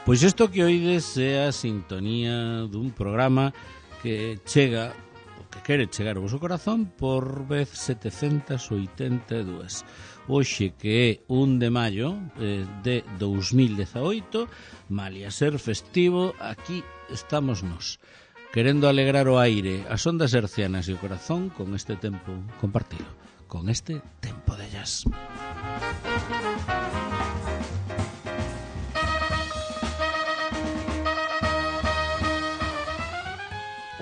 Pois isto que oides é a sintonía dun programa que chega, o que quere chegar ao vosso corazón por vez 782. Hoxe que é 1 de maio de 2018, malia ser festivo, aquí estamos nós, querendo alegrar o aire, as ondas hercianas e o corazón con este tempo compartido, con este tempo de jazz.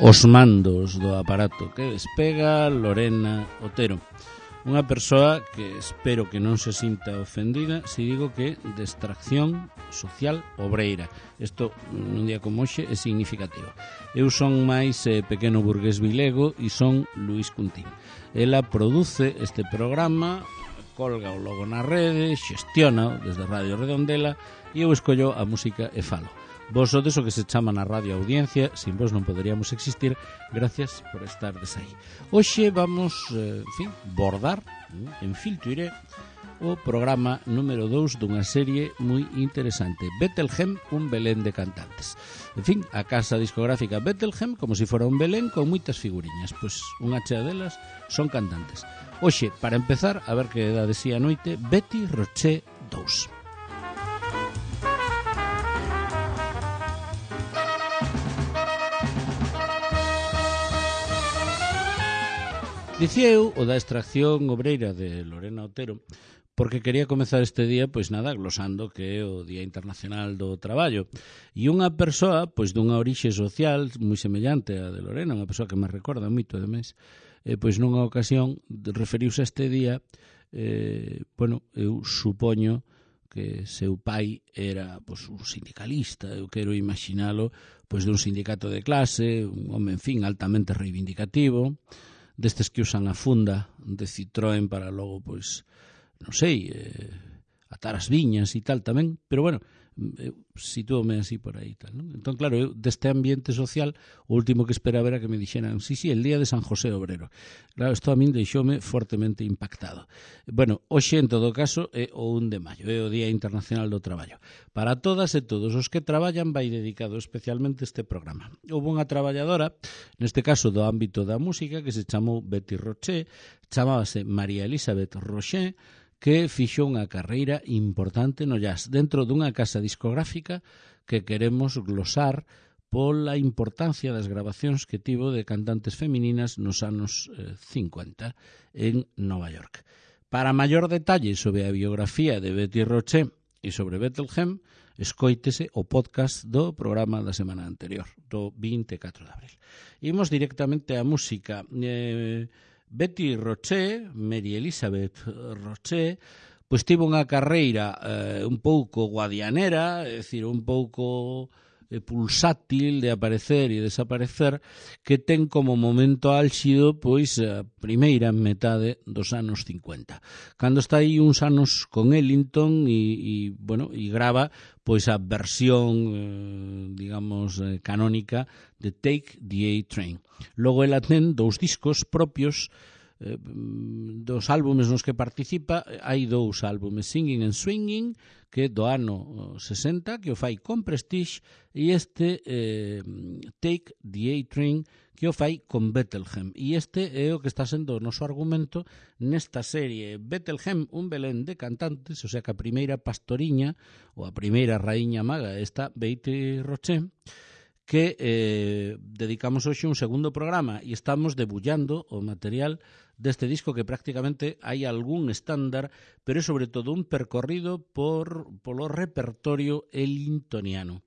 Os mandos do aparato que despega Lorena Otero, unha persoa que espero que non se sinta ofendida se digo que de extracción social obreira. Isto nun día como hoxe é significativo. Eu son máis pequeno burgués vilego e son Luís Cuntín. Ela produce este programa, colga o logo na rede, xestiona desde Radio Redondela e eu escollo a música e falo. Vos sodes o que se chama na radio audiencia, sin vos non poderíamos existir, gracias por estar aí. Hoxe vamos, bordar, en Filtuiré, o programa número 2 dunha serie moi interesante, Bethlehem, un Belén de cantantes. En fin, a casa discográfica Bethlehem, como se fora un Belén con moitas figuriñas, pois unha chea delas son cantantes. Hoxe, para empezar, a ver que dá de si a noite, Betty Roche 2. Dicía eu o da extracción obreira de Lorena Otero porque quería comezar este día, pois nada, glosando que é o Día Internacional do Traballo. E unha persoa, pois dunha orixe social moi semellante á de Lorena, unha persoa que me recorda moito, ademais, pois nunha ocasión referiuse a este día, eu supoño que seu pai era pois, un sindicalista, eu quero imaginalo pois dun sindicato de clase, un home, en fin, altamente reivindicativo, destes que usan a funda de Citroën para logo, pois, non sei, atar as viñas e tal tamén, pero bueno, sitúome así por aí tal, non? Entón, claro, eu deste ambiente social, o último que esperaba era que me dixeran, sí, el día de San José Obrero. Claro, isto a min deixoume fortemente impactado. Bueno, hoxe, en todo caso, é o 1 de maio, é o Día Internacional do Traballo. Para todas e todos os que traballan vai dedicado especialmente este programa. Houve unha traballadora, neste caso do ámbito da música, que se chamou Betty Roche, chamábase María Elizabeth Roche, que fixo unha carreira importante no jazz dentro dunha casa discográfica que queremos glosar pola importancia das grabacións que tivo de cantantes femininas nos anos 50 en Nova York. Para maior detalle sobre a biografía de Betty Roche e sobre Bethlehem, escoítese o podcast do programa da semana anterior, do 24 de abril. Imos directamente á música. Betty Roche, Mary Elizabeth Roche, pois tivo unha carreira un pouco guadianera, é dicir, un pouco pulsátil de aparecer e desaparecer, que ten como momento álxido pois a primeira metade dos anos 50. Cando está aí uns anos con Ellington e grava pois a versión, canónica de Take the A-Train. Logo ela ten 2 discos propios dos álbumes nos que participa. Hai 2 álbumes, Singing and Swinging, que é do ano 60, que o fai con Prestige, e este Take the A-Train, que o fai con Bethlehem. E este é o que está sendo o noso argumento nesta serie. Bethlehem, un Belén de cantantes, o sea que a primeira pastoriña ou a primeira raíña maga esta Betty Roche, que dedicamos hoxe un segundo programa e estamos debullando o material deste disco que prácticamente hai algún estándar, pero é sobre todo un percorrido polo repertorio ellingtoniano.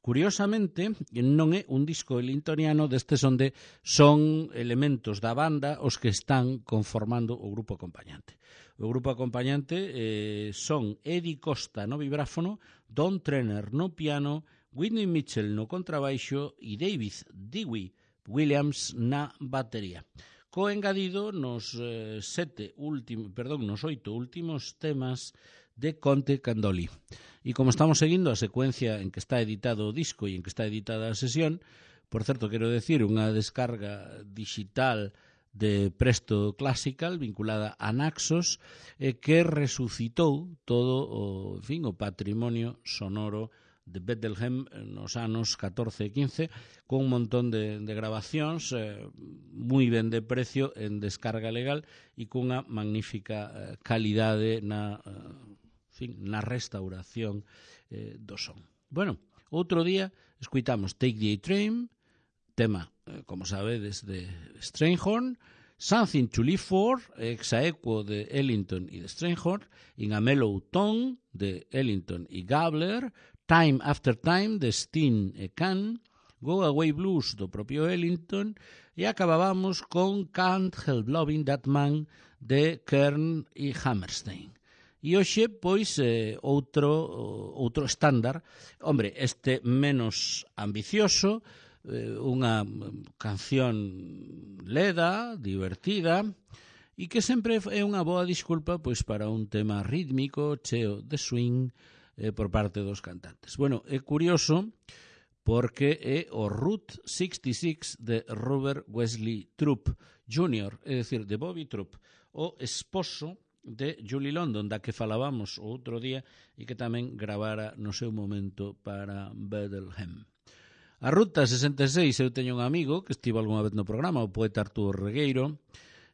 Curiosamente, non é un disco ellingtoniano destes onde son elementos da banda os que están conformando o grupo acompañante. O grupo acompañante son Eddie Costa no vibráfono, Don Trenner no piano, Whitney Mitchell no contrabaixo e David Dewey Williams na batería. Co engadido nos 8 últimos temas de Conte Candoli. E como estamos seguindo a secuencia en que está editado o disco e en que está editada a sesión, por certo, quero decir, unha descarga digital de Presto Classical vinculada a Naxos que resucitou todo o patrimonio sonoro de Bethlehem nos anos 14 e 15, con un montón de grabacións moi ben de precio en descarga legal e cunha magnífica calidade na restauración do son. Bueno, outro día escuitamos Take the A-Train, tema, como sabedes, de Strayhorn, Something to Live For, exaequo de Ellington e de Strayhorn, In a Mellow Tone de Ellington e Gabler, Time After Time de Steen e Kahn, Go Away Blues do propio Ellington, e acabábamos con Can't Help Loving That Man de Kern e Hammerstein. E hoxe, pois, outro estándar, hombre, este menos ambicioso, unha canción leda, divertida, e que sempre é unha boa disculpa pois para un tema rítmico, cheo de swing por parte dos cantantes. Bueno, é curioso porque é o Route 66 de Robert Wesley Troup Jr., é dicir, de Bobby Troup, o esposo de Julie London, da que falábamos o outro día e que tamén gravara no seu momento para Bethlehem. A Ruta 66, eu teño un amigo que estivo algunha vez no programa, o poeta Arturo Regueiro,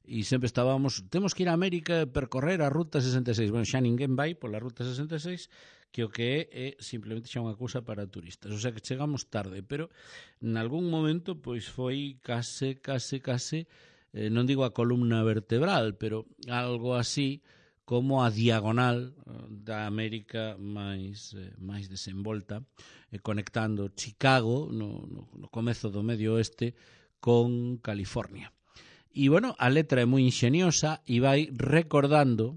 e sempre estábamos, temos que ir a América e percorrer a Ruta 66. Bueno, xa ninguén vai pola Ruta 66, que o que é simplemente xa unha cousa para turistas. O sea que chegamos tarde, pero en algún momento pois foi case, non digo a columna vertebral, pero algo así como a diagonal da América máis desenvolta, conectando Chicago no comezo do Medio Oeste con California. E, bueno, a letra é moi ingeniosa e vai recordando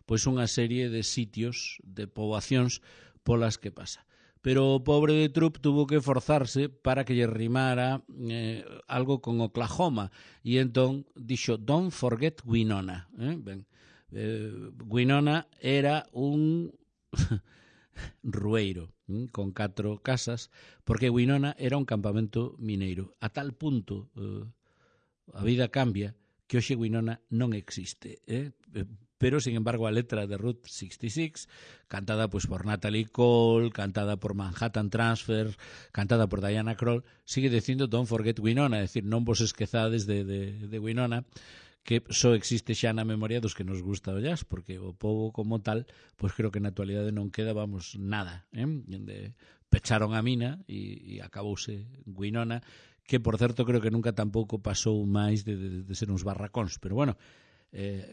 pois unha serie de sitios, de poboacións polas que pasa. Pero o pobre de Troup tuvo que forzarse para que lle rimara algo con Oklahoma, e entón dixo Don't forget Winona. Winona era un rueiro con 4 casas, porque Winona era un campamento mineiro. A tal punto a vida cambia que hoxe Winona non existe, pero, sin embargo, a letra de Route 66, cantada pois por Natalie Cole, cantada por Manhattan Transfer, cantada por Diana Krall, sigue dicindo Don't forget Winona, é dicir, non vos esquezades de Winona, que só existe xa na memoria dos que nos gusta o jazz, porque o pobo como tal, pois creo que na actualidade non queda, nada. Pecharon a mina e acabouse Winona, que, por certo, creo que nunca tampouco pasou máis de ser uns barracóns, pero, bueno,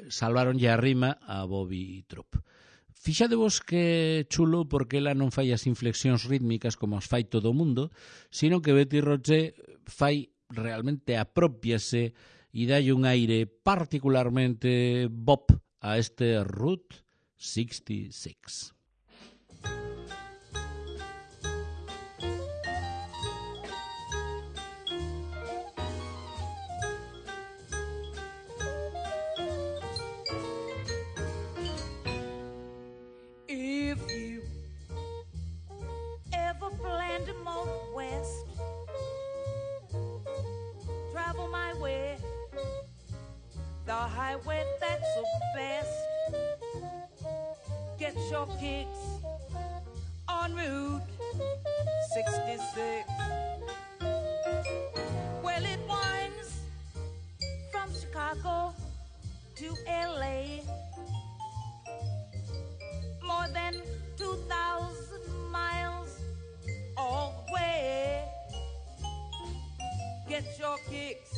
salvaronlle a rima a Bobby Troup. Fixadevos que chulo porque ela non fai as inflexións rítmicas como as fai todo o mundo, sino que Betty Roche fai realmente apropiase e dalle un aire particularmente bop a este Route 66. The highway that's the best. Get your kicks on Route 66. Well, it winds from Chicago to LA, more than 2,000 miles all the way. Get your kicks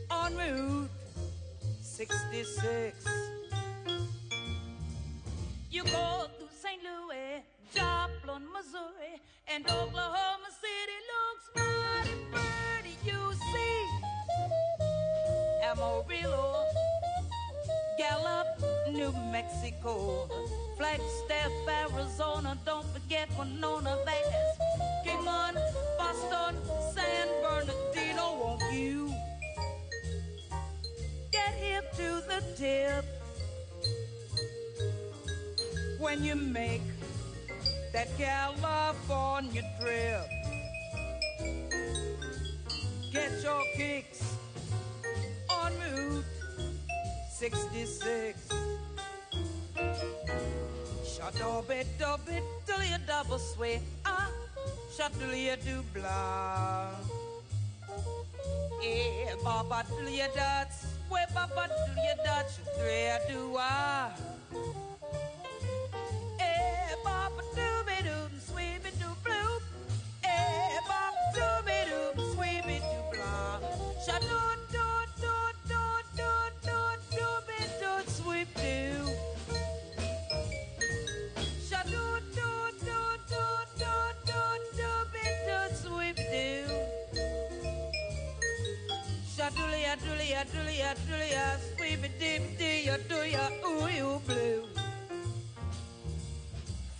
on Route 66. You go through St. Louis, Joplin, Missouri, and Oklahoma City looks mighty pretty. You see Amarillo, Gallup, New Mexico, Flagstaff, Arizona. Don't forget Winona, Vegas, Kingman, Boston, San Bernardino. Won't you get hip to the tip when you make that California trip? Get your kicks on Route 66. Dubby, dilly a double sway, shuttly a do blah. Eh, Baba dilly a dot, sway, Baba dilly a dot, three a do Eh, Baba dooby doo, sweepy doo blue. Eh, Baba dooby doo, sweepy doo blah. Shadow doo doo doo doo doo dooby doo sweep doo. Shadow doo doo doo doo doo dooby doo sweep doo. Shadoolya doolya doolya doolya sweepy doo doo ya do ya ooh you blue.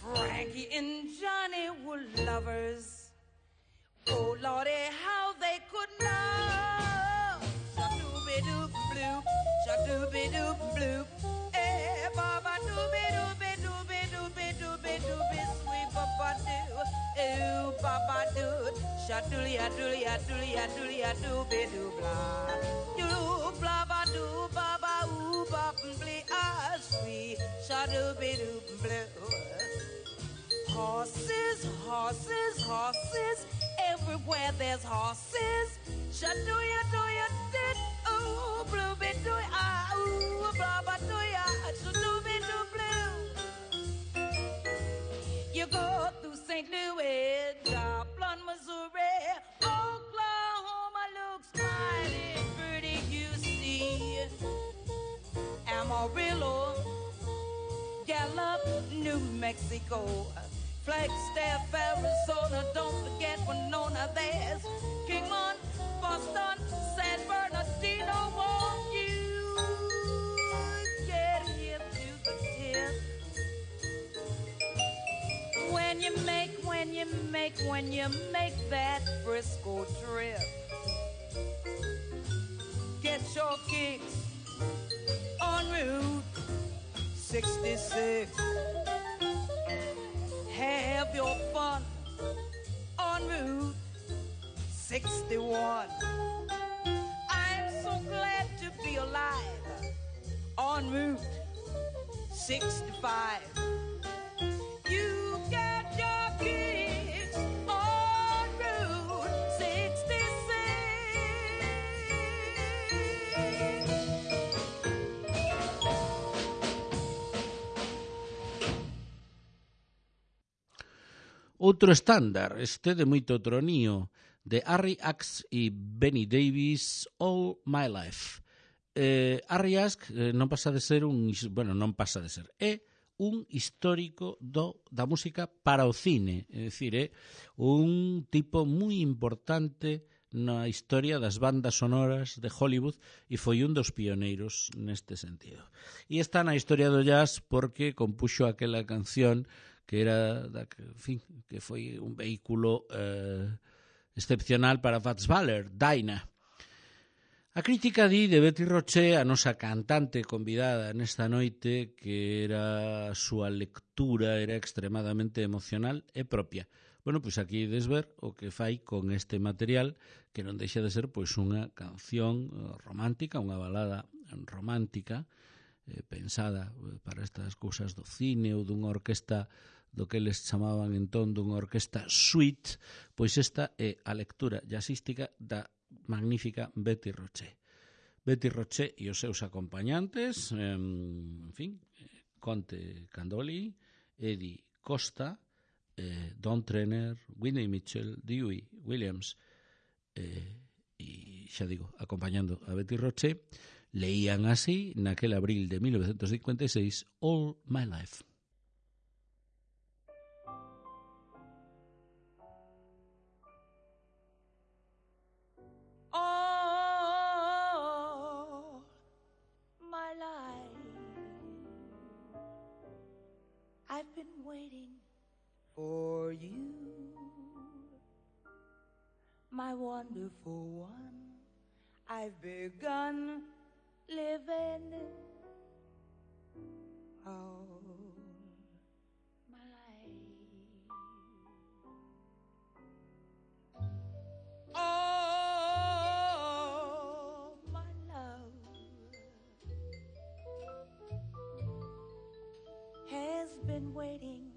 Frankie and Johnny were lovers. Oh, Lordy, how they could know. Shadooby-doo bloop, shadooby-doo bloop. Eh, Baba dooby-dooby-dooby-dooby-dooby-dooby, sweet Baba-doo. Ooh, Baba-doo. Shadoolya-doolya-doolya-doolya-dooby-doo blah. You blah-ba-doo, Baba, ooh, bop-and-blee, sweet shadooby-doo blue. Horses, horses, horses, everywhere there's horses. Shadooya, dooya, dit, ooh, blooby, dooya, ooh, blabba, dooya, shadooby, doo, blue. You go through St. Louis, Joplin, Missouri, Oklahoma looks mighty pretty, you see. Amarillo, Gallup, New Mexico, Flagstaff, Arizona, don't forget Winona, there's Kingman, Boston, San Bernardino, won't you get hip to the tip? When you make that Frisco trip, get your kicks on Route 66. Have your fun on Route 61. I'm so glad to be alive on Route 65. You get your kicks on Route 66. Outro estándar, este de moito tronío, de Harry Axe e Benny Davis, All My Life. Harry Axe non pasa de ser é un histórico da música para o cine, é dicir, é un tipo moi importante na historia das bandas sonoras de Hollywood e foi un dos pioneiros neste sentido. E está na historia do jazz porque compuxo aquela canción que era, que foi un vehículo excepcional para Fats Waller, Dinah. A crítica di de Betty Roche, a nosa cantante convidada nesta noite, que era a súa lectura era extremadamente emocional e propia. Bueno, pois aquí ides ver o que fai con este material, que non deixa de ser pois unha canción romántica, unha balada romántica, pensada para estas cousas do cine ou dunha orquesta do que eles chamaban entón dunha orquesta suite, pois esta é a lectura jazzística da magnífica Betty Roche. Betty Roche e os seus acompañantes, Conte Candoli, Eddie Costa, Don Trenner, Whitney Mitchell, Dewey Williams, e xa digo, acompañando a Betty Roche, leían así, naquel abril de 1956, All My Life. All my life I've been waiting for you, my wonderful one. I've begun living all my life. Oh, my love has been waiting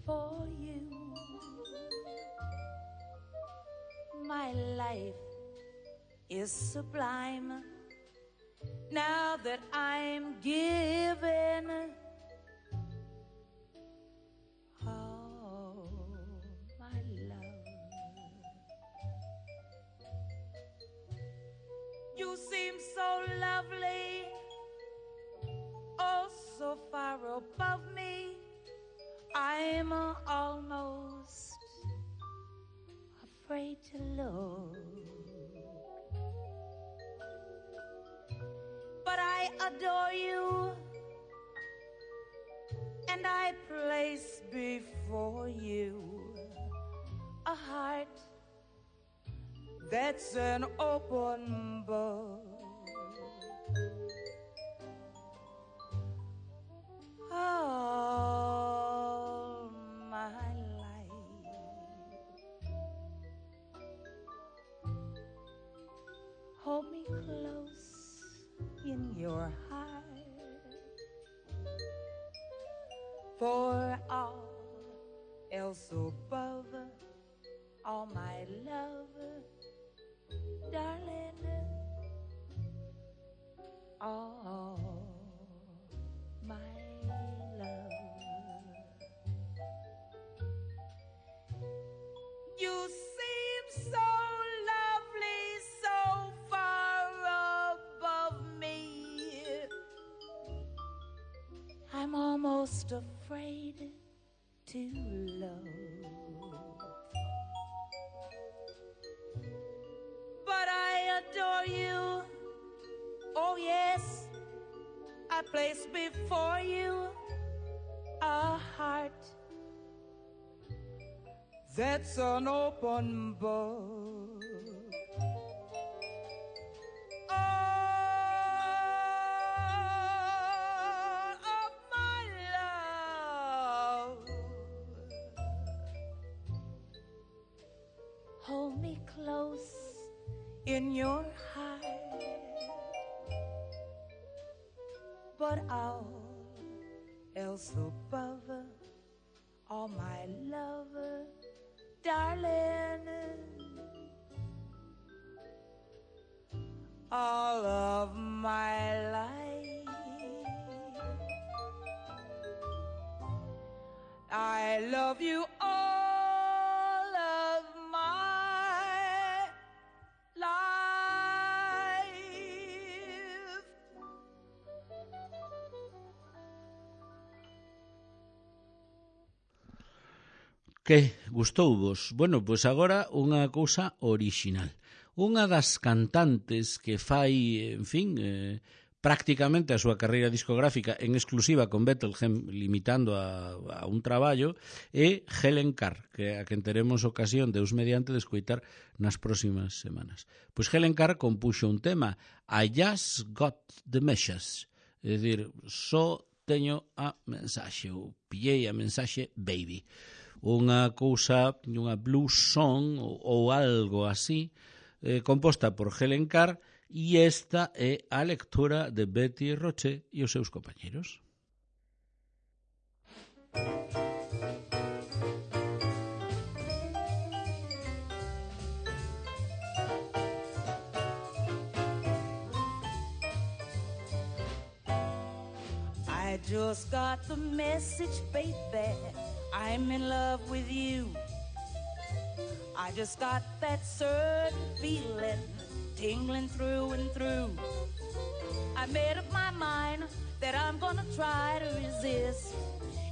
for you. My life is sublime now that I'm given. Oh, my love. You seem so lovely, oh, so far above me. I'm almost afraid to look. But I adore you, and I place before you a heart that's an open book. All my life hold me close in your heart, for all else above, all my love, darling, all my love. You seem so lovely, so far above me. I'm almost afraid to love. But I adore you. Oh yes, I place before you a heart that's an open book. All of my love, hold me close in your heart, but all else above, all my love, darling, all of my life, I love you all of my life. Que gustouvos? Bueno, pois agora unha cousa orixinal. Unha das cantantes que fai, en fin, prácticamente a súa carreira discográfica en exclusiva con Bethlehem, limitando a un traballo, é Helen Carr, que a quen teremos ocasión, Deus mediante, de escoitar nas próximas semanas. Pois Helen Carr compuxo un tema, I Just Got the Message, é dicir, só teño a mensaxe, ou pillei a mensaxe, baby. Unha cousa, unha blues song ou algo así, composta por Helen Carr, e esta é a lectura de Betty Roche e os seus compañeros. I just got the message, baby, I'm in love with you. I just got that certain feeling tingling through and through. I made up my mind that I'm gonna try to resist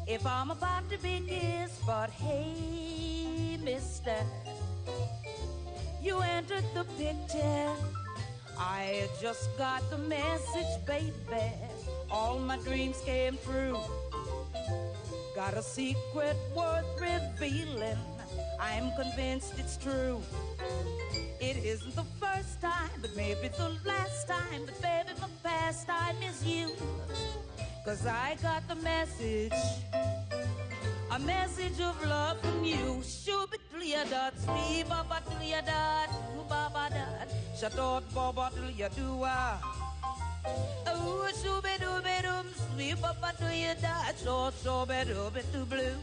if I'm about to be kissed. But hey, mister, you entered the picture. I just got the message, baby, all my dreams came true. Got a secret worth revealing, I'm convinced it's true. It isn't the first time, but maybe the last time, but baby, my pastime is you. 'Cause I got the message, a message of love from you. Shoo-be-dee-ya-dot, spee-ba-ba-dee-ya-dot, boo-ba-ba-dot, shadot-ba-ba-dee-ya-doo-ah. Oh, shooby-dooby-doom, sweep up until you die. So, shooby-dooby-doo blue.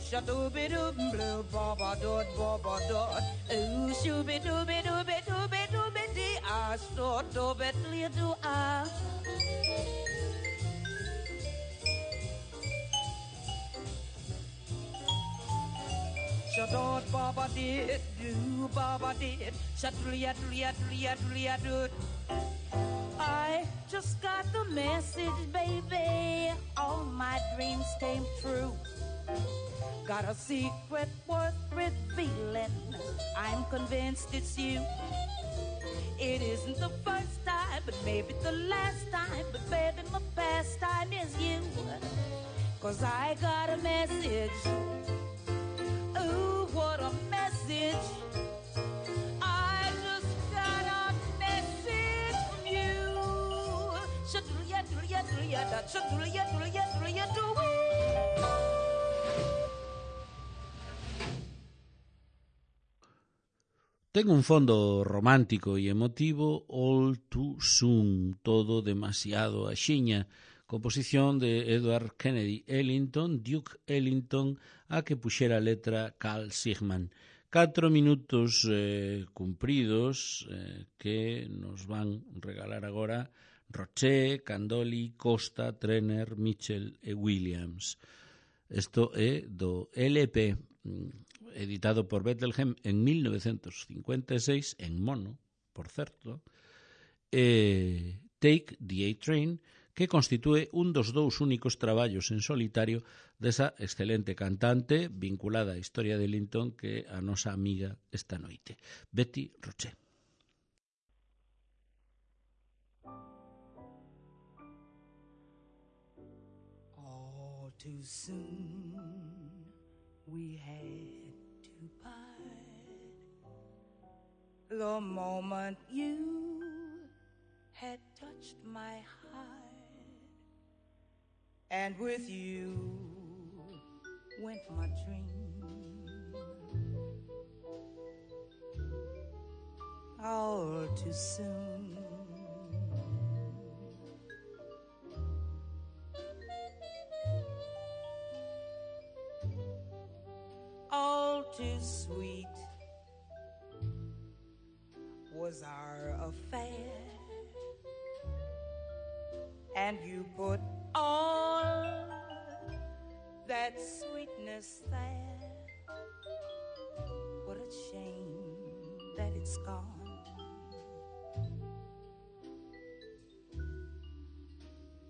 Shadooby-dooby blue, baba-doot, baba-doot. Ooh, shooby-dooby-dooby-dooby-dooby-dee. Ah, so-dooby-doo-doo, ah. Shadoot, baba-dee, doo, baba-dee. Shadooly-a-dooly-a-dooly-a-dooly-a-doot. I just got the message, baby. All my dreams came true. Got a secret worth revealing. I'm convinced it's you. It isn't the first time, but maybe the last time. But baby, my pastime is you. 'Cause I got a message. Ooh, what a message. I just got a message from you. Shadooly-a-dooly-a-dooly-a-dooly-a, shadooly-a-dooly-a-dooly-a-dooly. Ten un fondo romántico e emotivo, All Too Soon, todo demasiado axiña, composición de Edward Kennedy Ellington, Duke Ellington, a que puxera a letra Carl Sigman. 4 minutos cumpridos que nos van regalar agora Roché, Candoli, Costa, Trenner, Mitchell e Williams. Isto é do LP editado por Bethlehem en 1956, en mono, por certo, Take the A-Train, que constitúe un dos dous únicos traballos en solitario desa excelente cantante vinculada á historia de Ellington que a nosa amiga esta noite, Betty Roché. All too soon we had to part. The moment you had touched my heart, and with you went my dream. All too soon all too sweet was our affair, and you put all that sweetness there. What a shame that it's gone.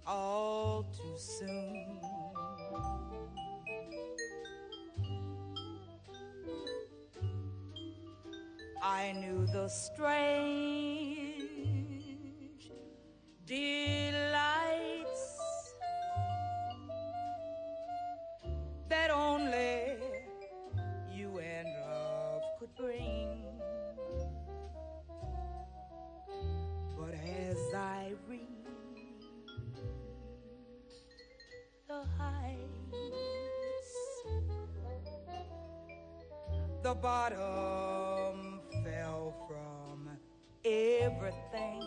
All too soon. I knew the strange delights that only you and love could bring. But as I reach the heights, the bottom fell from everything.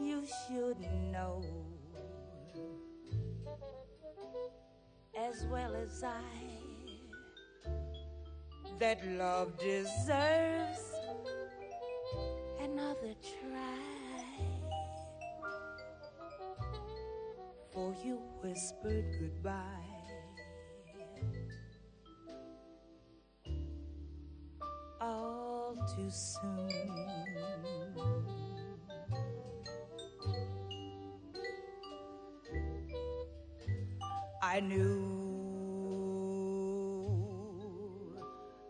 You should know as well as I that love deserves another try. For you whispered goodbye all too soon. I knew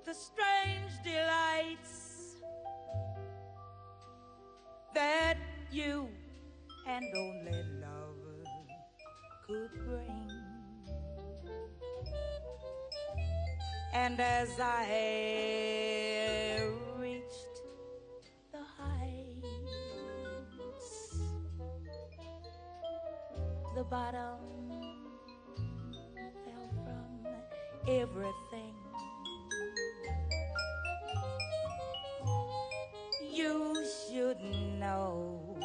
the strange delights that you and only love could bring. And as I reached the heights, the bottom fell from everything. You should know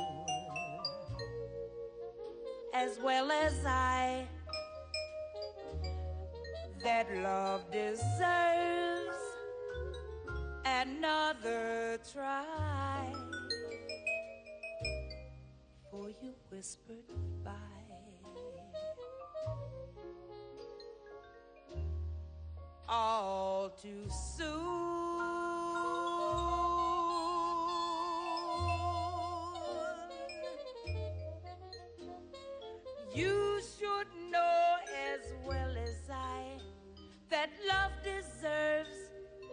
as well as I that love deserves another try. For you whispered goodbye all too soon. You should know as well as I that love deserves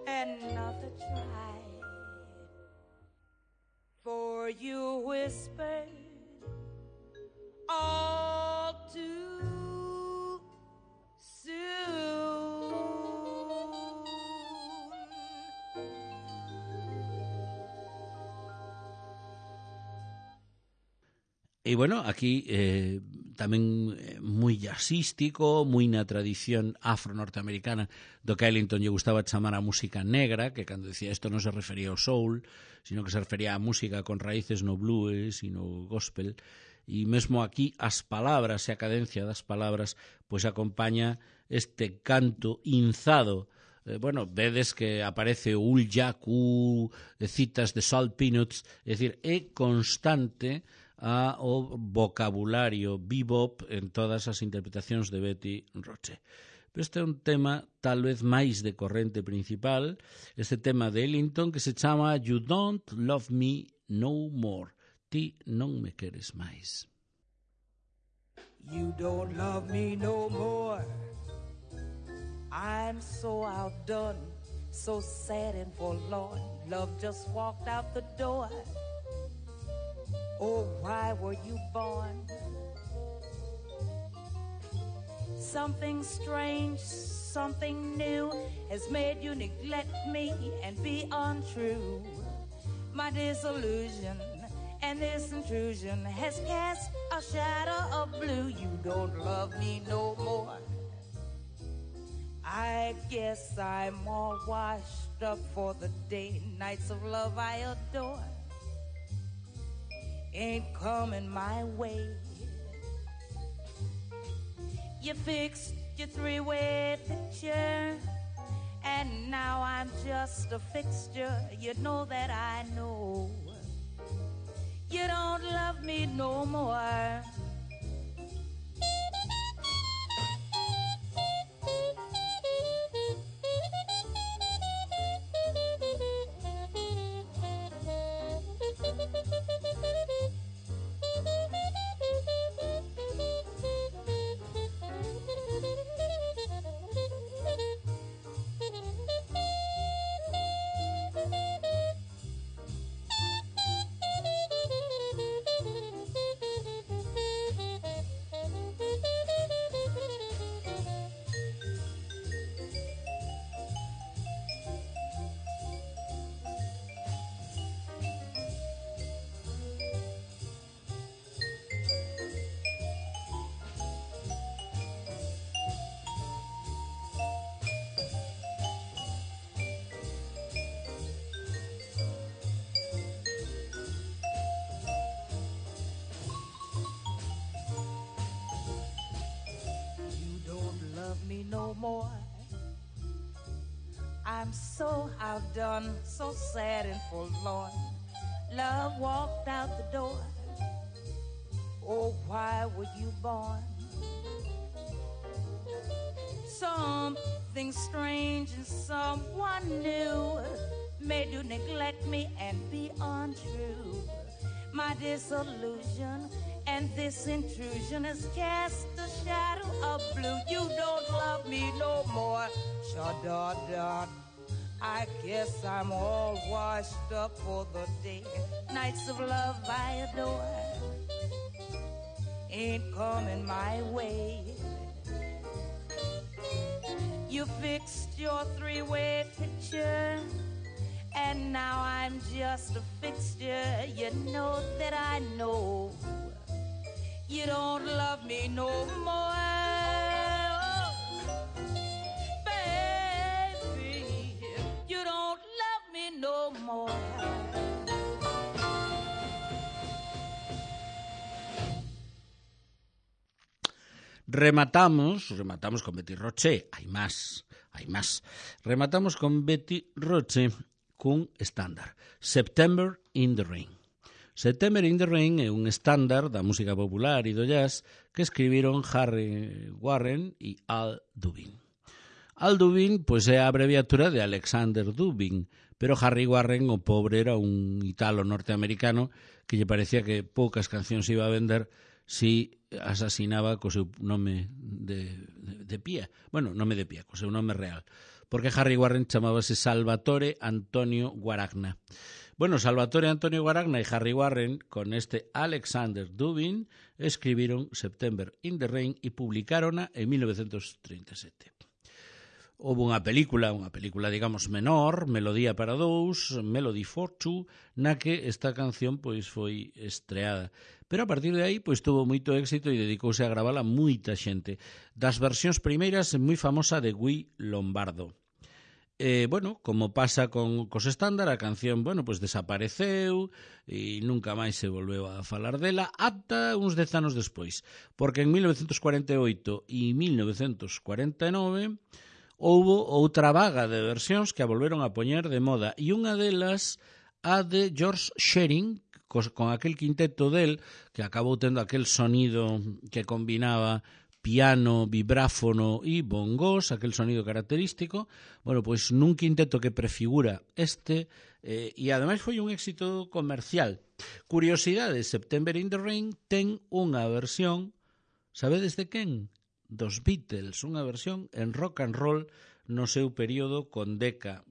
another try. For you whispered all too soon. E bueno, aquí tamén moi jazzístico, moi na tradición afro-norteamericana do que a Ellington lle gustaba chamar a música negra, que cando decía isto non se refería ao soul, sino que se refería á música con raíces no blues e no gospel. E mesmo aquí as palabras e a cadencia das palabras pois acompaña este canto inzado. Bueno, vedes que aparece o Ul Jack, citas de Salt Peanuts, é dicir, é constante o vocabulario bebop en todas as interpretacións de Betty Roche. Pero este é un tema tal vez máis de corrente principal, este tema de Ellington que se chama You Don't Love Me No More. Ti non me queres máis. You don't love me no more. I'm so outdone, so sad and forlorn. Love just walked out the door. Oh, why were you born? Something strange, something new has made you neglect me and be untrue. My disillusion and this intrusion has cast a shadow of blue. You don't love me no more. I guess I'm all washed up for the day. Nights of love I adore ain't coming my way. You fixed your three-way picture, and now I'm just a fixture. You know that I know. You don't love me no more. Me no more. I'm so outdone, so sad and forlorn. Love walked out the door. Oh, why were you born? Something strange and someone new made you neglect me and be untrue. My disillusion and this intrusion has cast a shadow of blue. You don't love me no more. Sha-da-da. I guess I'm all washed up for the day. Nights of love I adore ain't coming my way. You fixed your three-way picture, and now I'm just a fixture. You know that I know you don't love me no more. Baby, you don't love me no more. Rematamos con Betty Roche, hai máis. Rematamos con Betty Roche cun estándar, September in the Rain. September in the Rain é un estándar da música popular e do jazz que escribiron Harry Warren e Al Dubin. Al Dubin, pois, é a abreviatura de Alexander Dubin, pero Harry Warren, o pobre, era un italo norteamericano que lle parecía que poucas cancións iba a vender si asasinaba co seu nome de pía. Bueno, nome de pía, co seu nome real. Porque Harry Warren chamábase Salvatore Antonio Guaragna. Bueno, Salvatore Antonio Guaragna e Harry Warren, con este Alexander Dubin, escribiron September in the Rain e publicárona en 1937. Houve unha película, digamos, menor, Melodía para dous, Melody for Two, na que esta canción pois foi estreada. Pero a partir de aí pois tuvo moito éxito e dedicouse a gravala moita xente. Das versións primeiras, moi famosa de Guy Lombardo. Bueno, como pasa cos estándar, a canción, bueno, pois desapareceu e nunca máis se volveu a falar dela ata uns 10 anos despois, porque en 1948 e 1949 houbo outra vaga de versións que a volveron a poñer de moda, e unha delas, a de George Shearing, con aquel quinteto del, que acabou tendo aquel sonido que combinaba piano, vibráfono e bongos, aquel sonido característico. Bueno, pois nun quinteto que prefigura este, e ademais foi un éxito comercial. Curiosidade, September in the Rain ten unha versión, sabedes de quen? Dos Beatles, unha versión en rock and roll no seu período con Decca,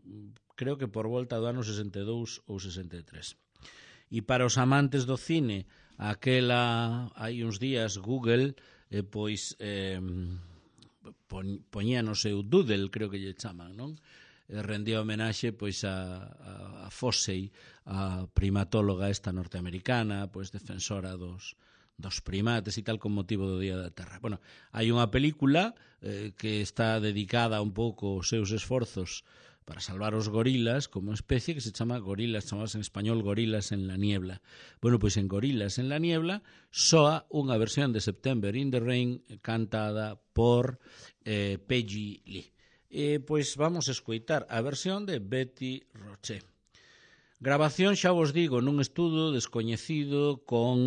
creo que por volta do ano 62 ou 63. E para os amantes do cine, hai uns días Google poñía no seu doodle, creo que lle chaman, non? Rendía homenaxe pois a Fossey, a primatóloga esta norteamericana, pois defensora dos primates e tal, con motivo do Día da Terra. Bueno, hai unha película que está dedicada un pouco aos seus esforzos para salvar os gorilas como especie, que se chama Gorilas, chamadas en español Gorilas en la Niebla. Bueno, pois en Gorilas en la Niebla soa unha versión de September in the Rain cantada por Peggy Lee. Pois vamos a escoitar a versión de Betty Roche. Grabación, xa vos digo, nun estudo descoñecido con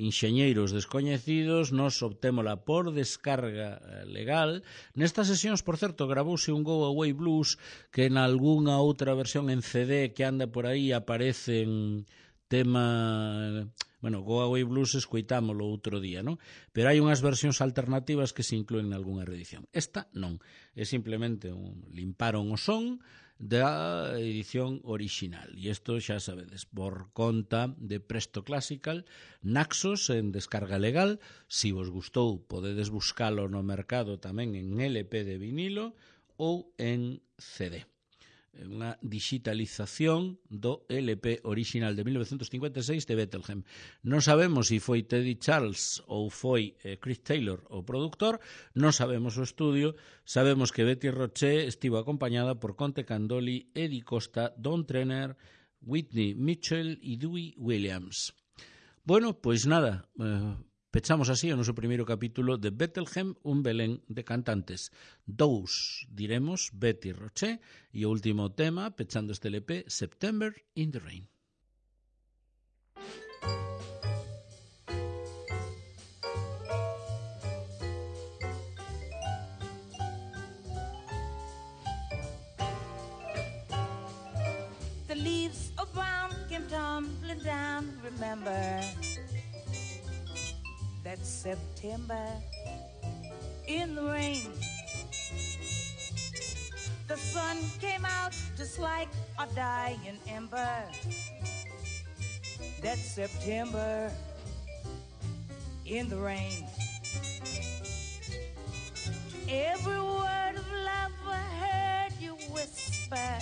enxeñeiros descoñecidos. Nos obtémola por descarga legal. Nestas sesións, por certo, gravouse un Go Away Blues que en algunha outra versión en CD que anda por aí aparece en tema... Bueno, Go Away Blues escoitámolo outro día, non? Pero hai unhas versións alternativas que se inclúen en algunha reedición. Esta non, é simplemente limparon o son da edición original. E isto xa sabedes, por conta de Presto Classical, Naxos en descarga legal. Si vos gustou, podedes buscalo no mercado tamén en LP de vinilo ou en CD. Unha digitalización do LP original de 1956 de Bethlehem. Non sabemos se foi Teddy Charles ou foi Chris Taylor o produtor, non sabemos o estudio. Sabemos que Betty Roche estivo acompañada por Conte Candoli, Eddie Costa, Don Trenner, Whitney Mitchell e Dewey Williams. Bueno, pois nada, pechamos así o noso primeiro capítulo de Bethlehem, un Belén de cantantes. Dous, diremos, Betty Roche, e o último tema, pechando este LP, September in the Rain. The leaves of brown came tumbling down, remember that September in the rain. The sun came out just like a dying ember. That September in the rain. Every word of love I heard you whisper.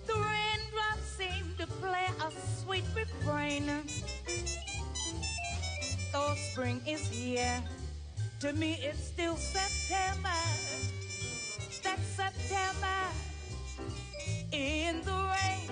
The raindrops seem to play a sweet refrain. Though spring is here, to me it's still September. That's September in the rain.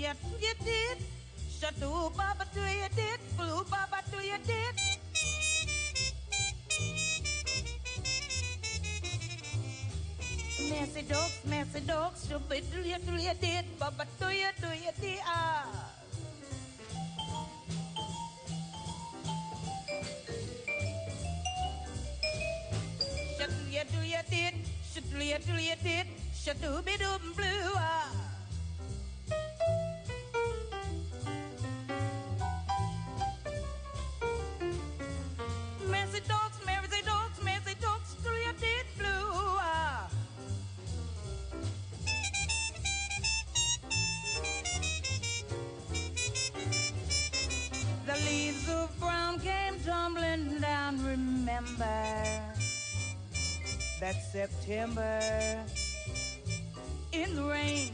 You did. Shut the baba do you did. Blue baba do you did. Messy dogs, should be do you did. Baba do you did. Ah. Shut do you did. Shut do you did. Shut do be do blue. Ah. Messy dogs, do you did blue? Ah. The leaves of brown came tumbling down, remember that September in the rain.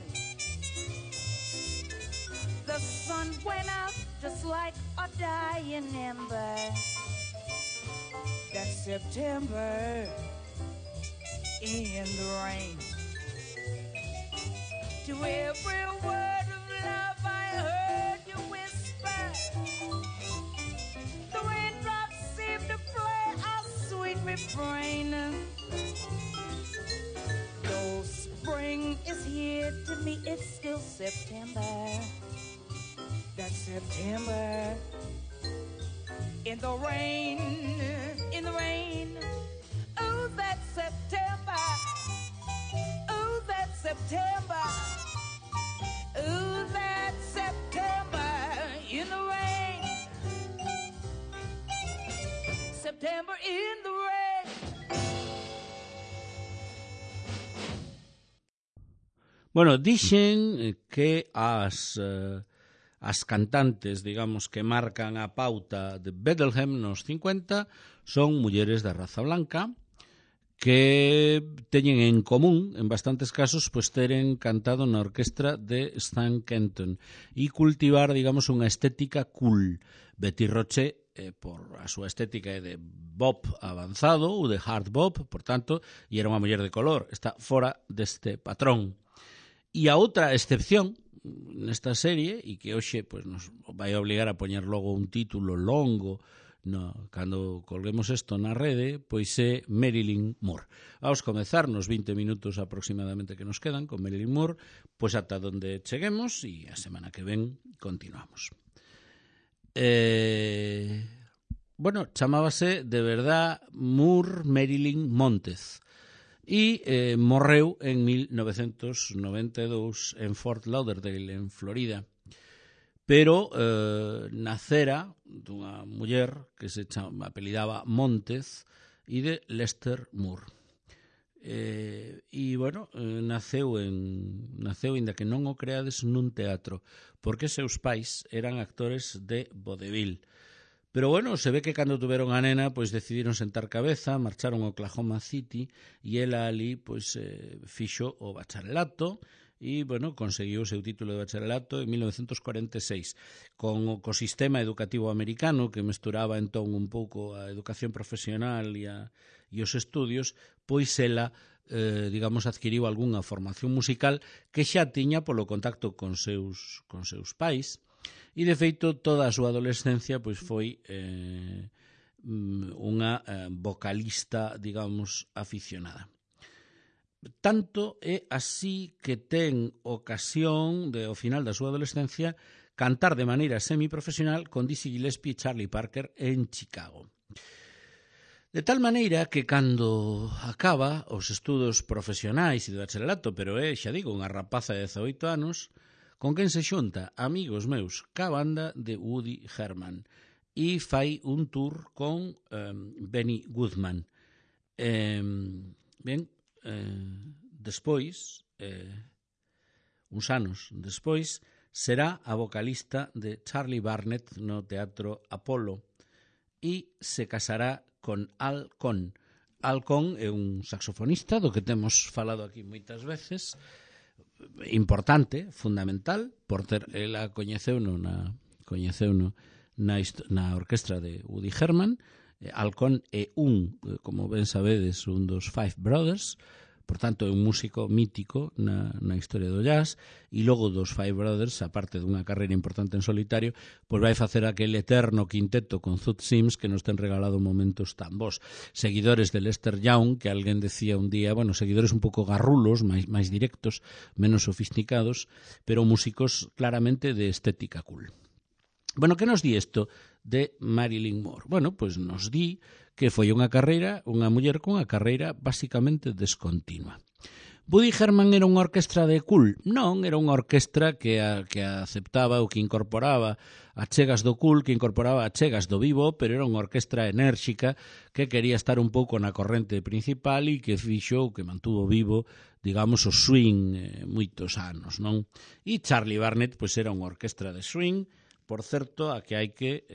The sun went out just like a dying ember. That September in the rain. To every word of love I heard you whisper. The raindrops seem to play a sweet refrain. Though spring is here, to me it's still September. That's September in the rain, in the rain. Oh, that's September. Oh, that's September. Oh, that's September in the rain. September in the rain. Bueno, dixen que as cantantes, digamos, que marcan a pauta de Bethlehem nos 50 son mulleres da raza blanca que teñen en común, en bastantes casos, pues teren cantado na orquestra de Stan Kenton e cultivar, digamos, unha estética cool. Betty Roche, por a súa estética é de bop avanzado ou de hard bop, por tanto, e era unha muller de color, está fora deste patrón. E a outra excepción nesta serie, e que hoxe pues, nos vai obligar a poñer logo un título longo cando colguemos isto na rede, pois é Marilyn Moore. Vamos comezar nos 20 minutos aproximadamente que nos quedan con Marilyn Moore, pois ata onde cheguemos e a semana que ven continuamos. Bueno, chamábase de verdad Moore Marilyn Montez e morreu en 1992 en Fort Lauderdale, en Florida. Pero nacera dunha muller que se apelidaba Montez e de Lester Moore. E, bueno, naceu, inda que non o creades, nun teatro, porque seus pais eran actores de vodevil. Pero, bueno, se ve que cando tuveron a nena, pois decidiron sentar cabeza, marcharon a Oklahoma City e ela ali, pois, fixo o bacharelato e, bueno, conseguiu o seu título de bacharelato en 1946 con o sistema educativo americano que mesturaba entón un pouco a educación profesional e os estudios, pois ela digamos, adquiriu algunha formación musical que xa tiña polo contacto con seus pais, e de feito toda a súa adolescencia pois foi unha vocalista, digamos, aficionada. Tanto é así que ten ocasión de, ao final da súa adolescencia, cantar de maneira semiprofesional con Dizzy Gillespie e Charlie Parker en Chicago. De tal maneira que cando acaba os estudos profesionais e do bacharelato, pero xa digo, unha rapaza de 18 anos, con quen se xunta amigos meus ca banda de Woody Herman e fai un tour con Benny Goodman. Despois, uns anos despois, será a vocalista de Charlie Barnet no Teatro Apollo e se casará con Al Cohn. Al Cohn é un saxofonista do que temos falado aquí moitas veces, importante, fundamental, por ter ela coñeceuno na orquestra de Woody Herman. Al Cohn é como ben sabedes, un dos Five Brothers, por tanto é un músico mítico na historia do jazz, e logo dos Five Brothers, aparte dunha carreira importante en solitario, pois vai facer aquel eterno quinteto con Zoot Sims que nos ten regalado momentos tan bons. Seguidores de Lester Young, que alguén decía un día, bueno, seguidores un pouco garrulos, máis directos, menos sofisticados, pero músicos claramente de estética cool. Bueno, que nos di isto de Marilyn Moore? Bueno, pois nos di que foi unha muller cunha carreira basicamente descontinua. Woody Herman era unha orquestra de cool? Non, era unha orquestra que aceptaba ou que incorporaba achegas do cool, que incorporaba achegas do vivo, pero era unha orquestra enérxica que quería estar un pouco na corrente principal e que fixo, que mantuvo vivo, digamos, o swing moitos anos, non? E Charlie Barnet, pois era unha orquestra de swing, por certo, a que hai que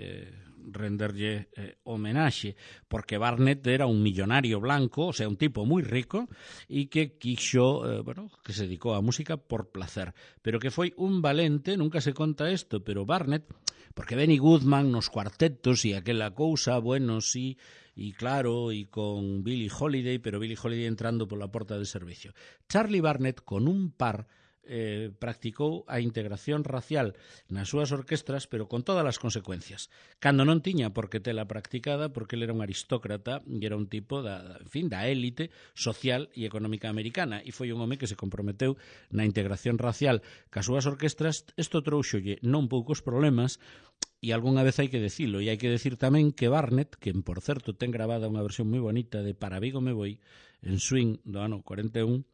renderlle homenaxe, porque Barnet era un millonario blanco, o sea, un tipo moi rico, e que quixo, que se dedicou á música por placer, pero que foi un valente, nunca se conta isto, pero Barnet, porque Benny Goodman nos cuartetos e aquela cousa, bueno, sí, e claro, e con Billie Holiday, pero Billie Holiday entrando pola porta de servicio. Charlie Barnet, con un par, practicou a integración racial nas súas orquestras, pero con todas as consecuencias. Cando non tiña por que tela practicada, porque ele era un aristócrata e era un tipo da élite social e económica americana, e foi un home que se comprometeu na integración racial cas súas orquestras. Isto trouxolle non poucos problemas, e algunha vez hai que decilo, e hai que decir tamén que Barnet, que por certo ten grabada unha versión moi bonita de Para Vigo me voy, en swing do ano 41,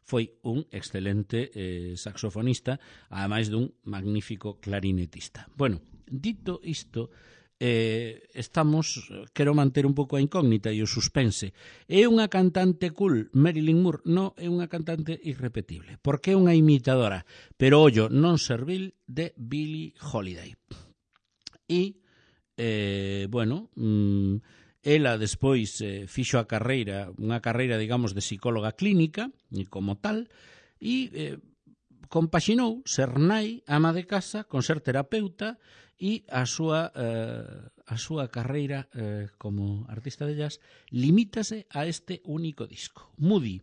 foi un excelente saxofonista, ademais dun magnífico clarinetista. Bueno, dito isto, quero manter un pouco a incógnita e o suspense. É unha cantante cool, Marilyn Moore? Non, é unha cantante irrepetible, porque é unha imitadora, pero ollo, non servil, de Billie Holiday. E, ela despois fixo unha carreira, digamos, de psicóloga clínica, e como tal, e compaxinou ser nai, ama de casa, con ser terapeuta, e a súa carreira como artista de jazz limítase a este único disco, Moody,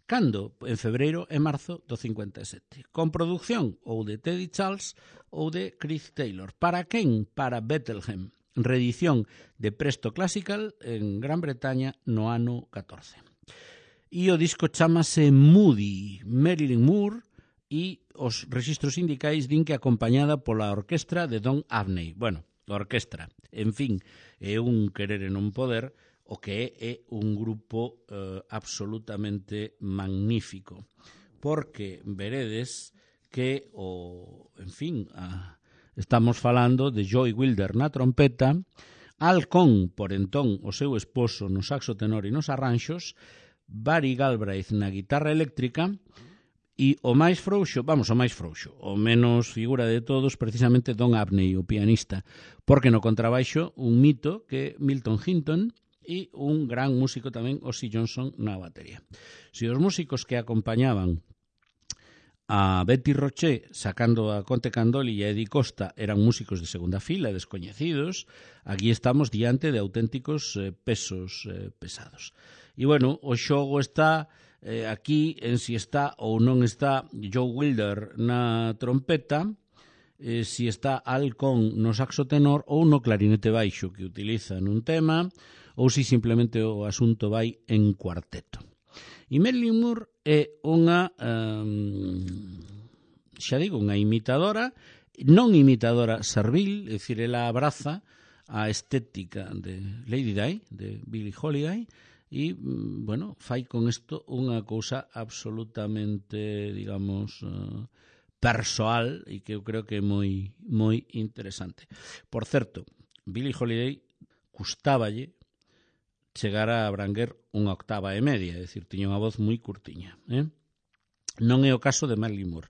cando? En febreiro e marzo do 57, con produción ou de Teddy Charles ou de Chris Taylor. Para quen? Para Bethlehem, reedición de Presto Classical en Gran Bretaña no ano 14. E o disco chamase Moody, Marilyn Moore, e os rexistros sindicais din que acompañada pola orquestra de Don Abney. Bueno, a orquestra, en fin, é un querer e non poder, o que é un grupo absolutamente magnífico, porque veredes que estamos falando de Joey Wilder na trompeta, Al Cohn, por entón o seu esposo, no saxo tenor e nos arranxos, Barry Galbraith na guitarra eléctrica, e o máis frouxo, o menos figura de todos, precisamente Don Abney, o pianista, porque no contrabaixo un mito que é Milton Hinton, e un gran músico tamén, Ozzy Johnson, na batería. Se os músicos que acompañaban a Betty Roché, sacando a Conte Candoli e a Eddie Costa, eran músicos de segunda fila, descoñecidos, aquí estamos diante de auténticos pesos pesados. E, bueno, o xogo está aquí en si está ou non está Joe Wilder na trompeta, si está Al Cohn no saxo tenor ou no clarinete baixo que utiliza nun tema, ou si simplemente o asunto vai en cuarteto. E Marilyn Moore é unha, xa digo, unha imitadora, non imitadora servil, é dicir, ela abraza a estética de Lady Di, de Billie Holiday, e, bueno, fai con isto unha cousa absolutamente, digamos, persoal e que eu creo que é moi interesante. Por certo, Billie Holiday custáballe chegar a abranguer unha octava e media, é dicir, tiña unha voz moi curtiña. Non é o caso de Marilyn Moore.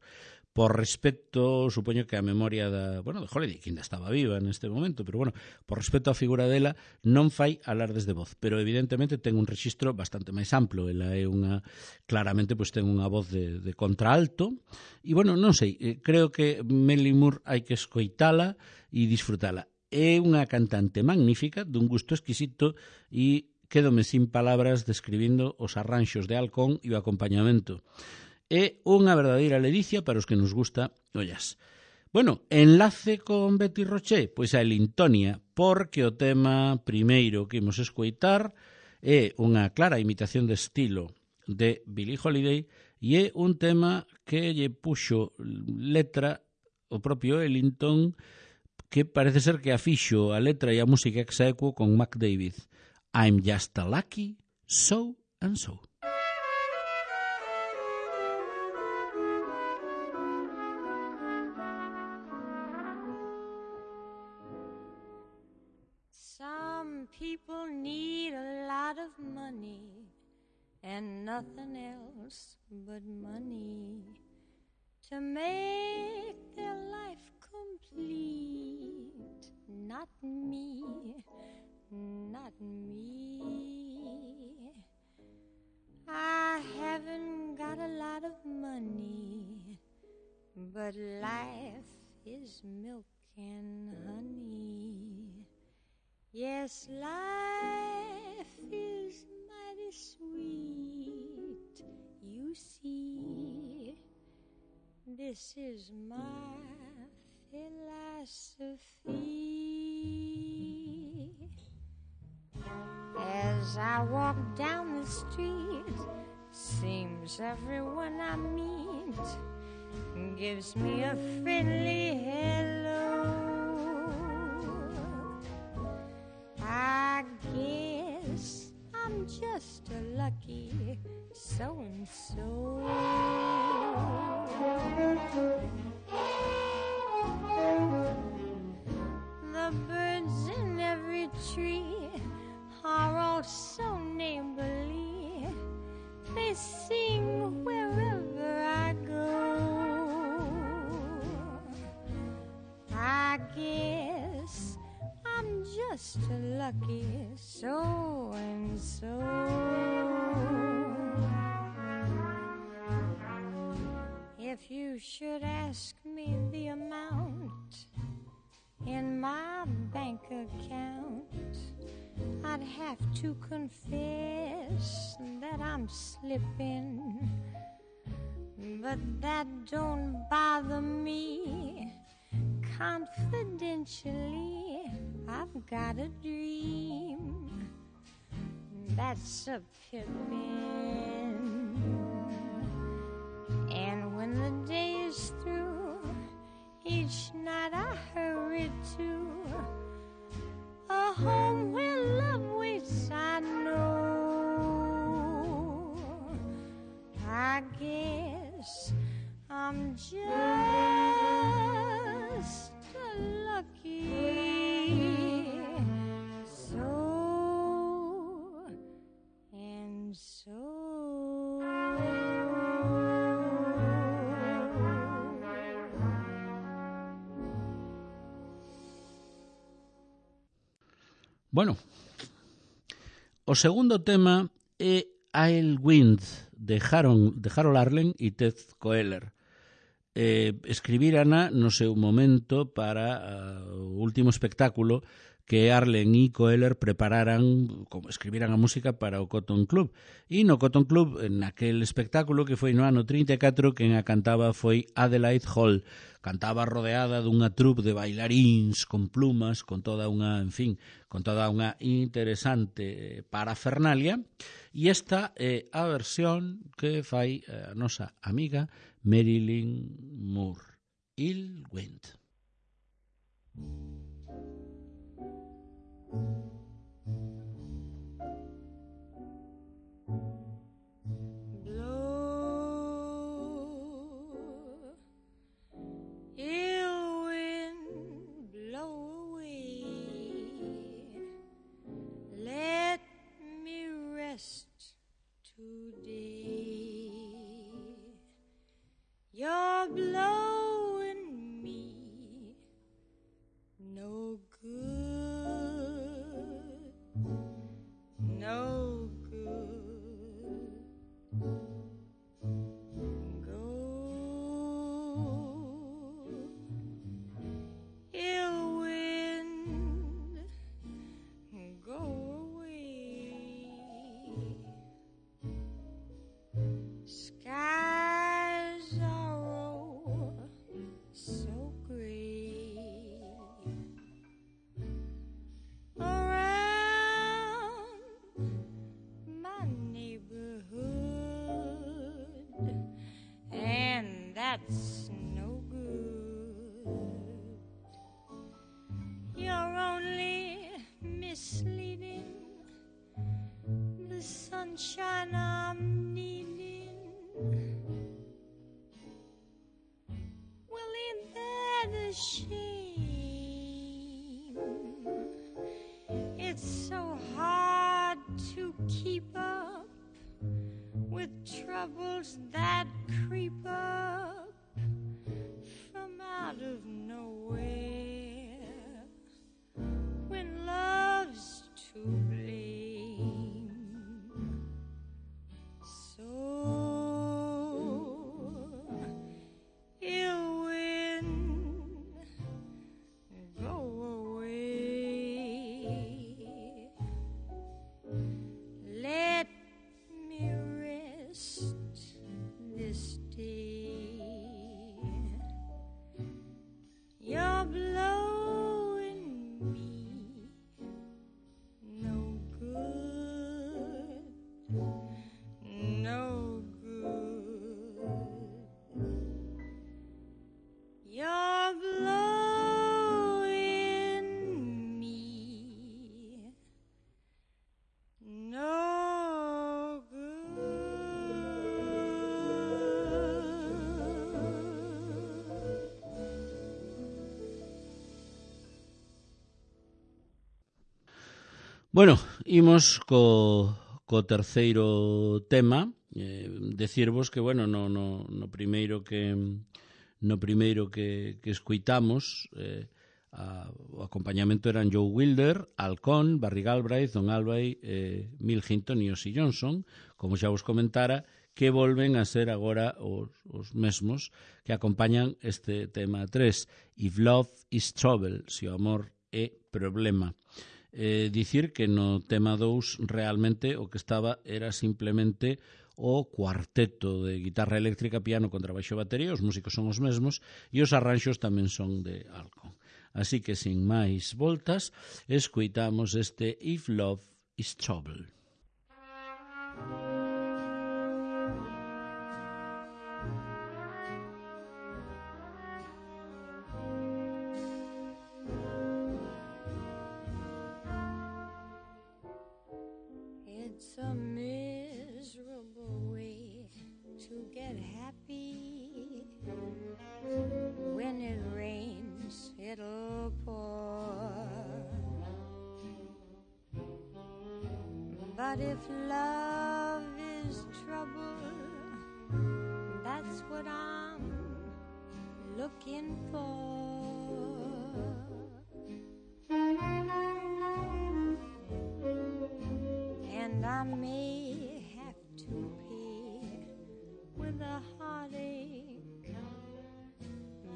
Por respecto, supoño que a memoria de Holiday, que ainda estaba viva neste momento, pero bueno, por respecto á figura dela, non fai alardes de voz, pero evidentemente ten un rexistro bastante máis amplo. Ela é claramente, pois ten unha voz de contraalto, e bueno, non sei, creo que Marilyn Moore hai que escoitala e disfrutala. É unha cantante magnífica, dun gusto exquisito, e quédome sin palabras describindo os arranxos de Al Cohn e o acompañamento. É unha verdadeira ledicia para os que nos gusta o jazz. Bueno, enlace con Betty Roché, pois a Elintonia, porque o tema primeiro que imos escoitar é unha clara imitación de estilo de Billie Holiday e é un tema que lle puxo letra o propio Ellington, que parece ser que afixo a letra e a música ex aequo con Mac David. I'm just a lucky so and so. Some people need a lot of money and nothing else but money to make their life complete. Not me, not me. I haven't got a lot of money, but life is milk and honey. Yes, life is mighty sweet, you see. This is my philosophy. As I walk down the street, seems everyone I meet gives me a friendly hello. I guess I'm just a lucky so-and-so. The birds in every tree are all so neighborly. They sing wherever I go. I guess I'm just a lucky so-and-so. If you should ask me the amount in my bank account, I'd have to confess that I'm slipping, but that don't bother me. Confidentially, I've got a dream that's a pippin', and when the day is through, each night I hurry to a home where love waits, I know. I guess I'm just a lucky so-and-so. Bueno, o segundo tema é I'll Wind de Harold Arlen e Ted Koehler. Escribirana no seu momento para o último espectáculo que Arlen e Coeller prepararan, como escribiran a música para o Cotton Club. E no Cotton Club, naquel espectáculo que foi no ano 34, quen a cantaba foi Adelaide Hall. Cantaba rodeada dunha troupe de bailaríns con plumas, con toda unha, en fin, con toda unha interesante parafernalia. E esta é a versión que fai a nosa amiga Marilyn Moore. Il Wind. You're blowing me no good, no good. Go, ill wind, go away. Skies are so gray around my neighborhood, and that's no good. You're only misleading the sunshine I'm needing. Well, ain't that a shame? It's so hard to keep up with troubles that creep up from out of nowhere when love's to blame. So ill wind, go away. Let me rest this day. You're blowing me no good, no good. You're blowing me no good. Bueno, imos co terceiro tema, decirvos que, bueno, no primeiro que escuitamos, o acompañamento eran Joe Wilder, Alcón, Barry Galbraith, Don Albay, Mill Hinton e Ossie Johnson, como xa vos comentara, que volven a ser agora os mesmos que acompañan este tema 3, If Love is Trouble, se o amor é problema. Dicir que no tema 2 realmente o que estaba era simplemente o cuarteto de guitarra eléctrica, piano, contrabaixo e batería, os músicos son os mesmos e os arranxos tamén son de Alcón. Así que, sin máis voltas, escuitamos este If Love is Trouble. It's a miserable way to get happy. When it rains, it'll pour. But if love is trouble, that's what I'm looking for. And I may have to pay with a heartache,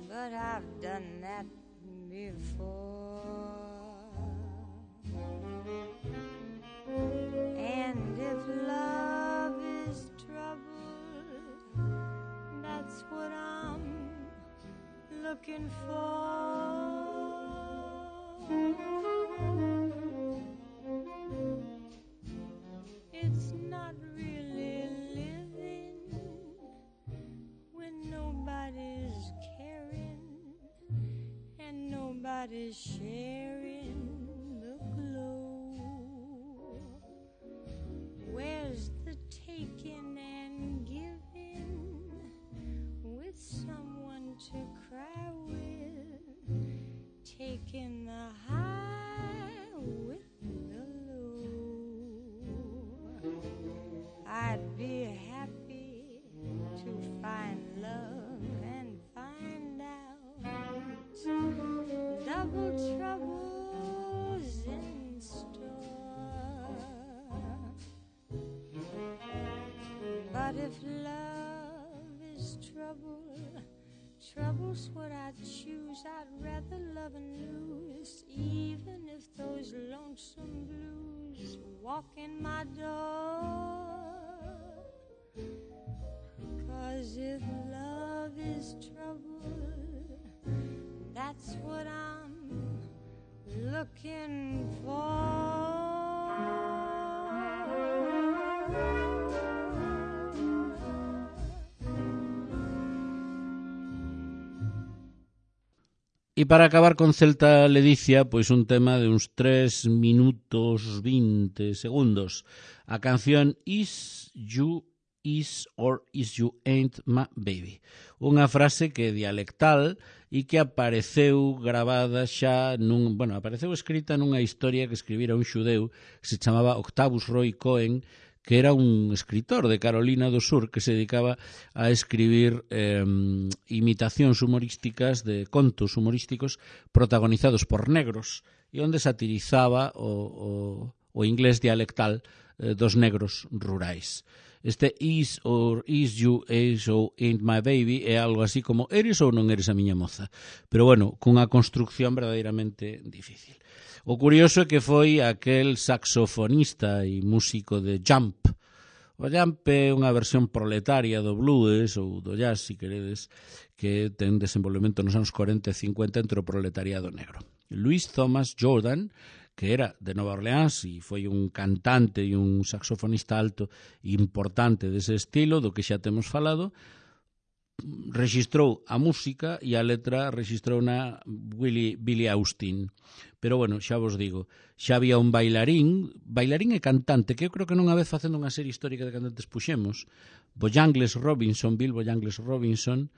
but I've done that before. looking for. It's not really living when nobody's caring and nobody's sharing the glow. Where's the taking and giving with someone to cry with, taking the high with the low? I'd be happy to find love and find out double troubles in store. But if love is trouble, trouble's what I'd choose. I'd rather love and lose, even if those lonesome blues walk in my door. 'Cause if love is trouble, that's what I'm looking for. E para acabar con Celta Ledicia, pois un tema de uns 3 minutos 20 segundos. A canción Is You Is or Is You Ain't My Baby. Unha frase que é dialectal e que apareceu gravada xa apareceu escrita nunha historia que escribira un xudeu que se chamaba Octavius Roy Cohen, que era un escritor de Carolina do Sur que se dedicaba a escribir imitacións humorísticas de contos humorísticos protagonizados por negros e onde satirizaba o inglés dialectal dos negros rurais. Este is or is you is or ain't my baby é algo así como eres ou non eres a miña moza, pero bueno, cunha construcción verdadeiramente difícil. O curioso é que foi aquel saxofonista e músico de Jump. O Jump é unha versión proletaria do blues ou do jazz, se queredes, que ten desenvolvemento nos anos 40 e 50 entre o proletariado negro. Louis Thomas Jordan, que era de Nova Orleans e foi un cantante e un saxofonista alto importante dese estilo, do que xa temos falado, rexistrou a música e a letra rexistrou na Billy Austin. Pero bueno, xa vos digo, xa había un bailarín e cantante, que eu creo que non unha vez facendo unha serie histórica de cantantes puxemos, Bill Bojangles Robinson,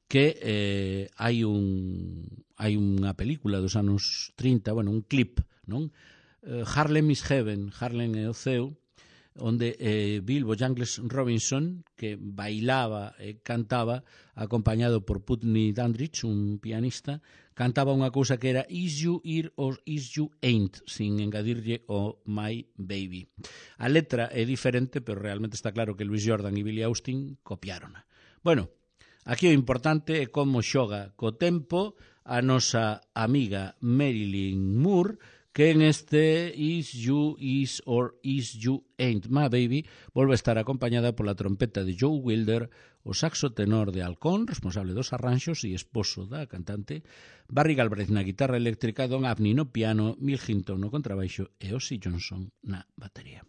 que hai unha película dos anos 30, un clip, non? Harlem is Heaven, Harlem é o ceo, onde Bill Bojangles Robinson, que bailaba e cantaba acompañado por Putney Dandridge, un pianista, cantaba unha cousa que era Is You Here or Is You Ain't, sin engadirlle o My Baby. A letra é diferente, pero realmente está claro que Louis Jordan e Billy Austin copiárona. Bueno, aquí o importante é como xoga co tempo a nosa amiga Marilyn Moore, que en este Is You Is or Is You Ain't My Baby volve a estar acompañada pola trompeta de Joe Wilder, o saxo tenor de Alcón, responsable dos arranxos e esposo da cantante, Barry Galbraith na guitarra eléctrica, Don Abney no piano, Mill Hinton no contrabaixo e Ozzy Johnson na batería.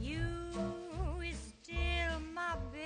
You is still my baby.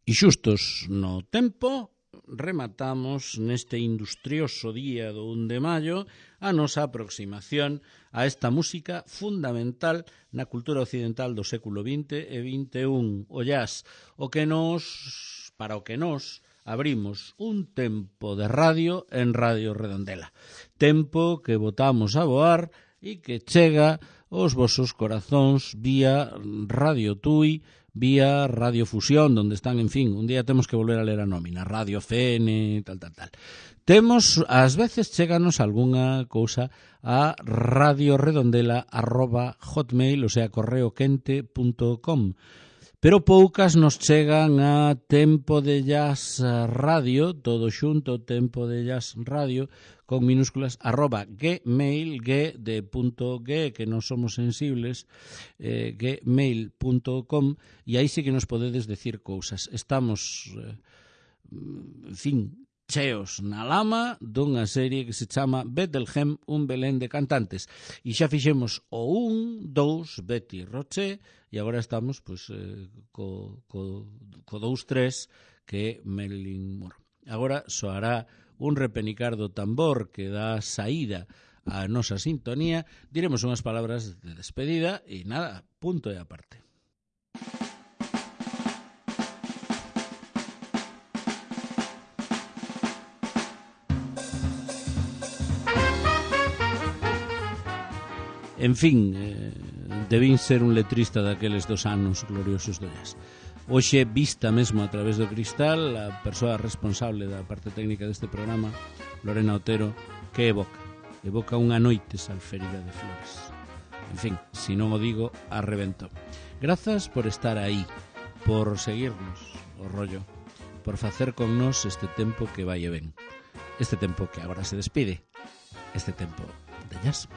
E xustos no tempo, rematamos neste industrioso día do 1 de maio a nosa aproximación a esta música fundamental na cultura occidental do século XX e XXI, o jazz, para o que nos abrimos un tempo de radio en Radio Redondela. Tempo que botamos a voar e que chega aos vosos corazóns vía Radio Tui, vía Radio Fusión, donde están, en fin, un día temos que volver a ler a nómina, Radio FN, tal. Temos, ás veces, cheganos algunha cousa a radioredondela@hotmail, o sea, correoquente.com, pero poucas nos chegan a Tempo de Jazz Radio, todo xunto, Tempo de Jazz Radio, con minúsculas, @gmail, que non somos sensibles, gmail.com, e aí sí que nos podedes decir cousas. Estamos, en fin, cheos na lama dunha serie que se chama Bethlehem, un Belén de cantantes. E xa fixemos o 1, 2, Betty Roche, e agora estamos co 2, 3, que é Marilyn Monroe. Agora soará un repenicar do tambor que dá saída á nosa sintonía. Diremos unhas palabras de despedida e nada, punto e aparte. En fin, debín ser un letrista daqueles dos anos gloriosos do jazz. Hoxe, vista mesmo a través do cristal, a persoa responsable da parte técnica deste programa, Lorena Otero, que evoca unha noite salférida de flores. En fin, se non o digo, arrebento. Grazas por estar aí, por seguirnos o rollo, por facer con nós este tempo que vai e ven, este tempo que agora se despide, este tempo de jazz.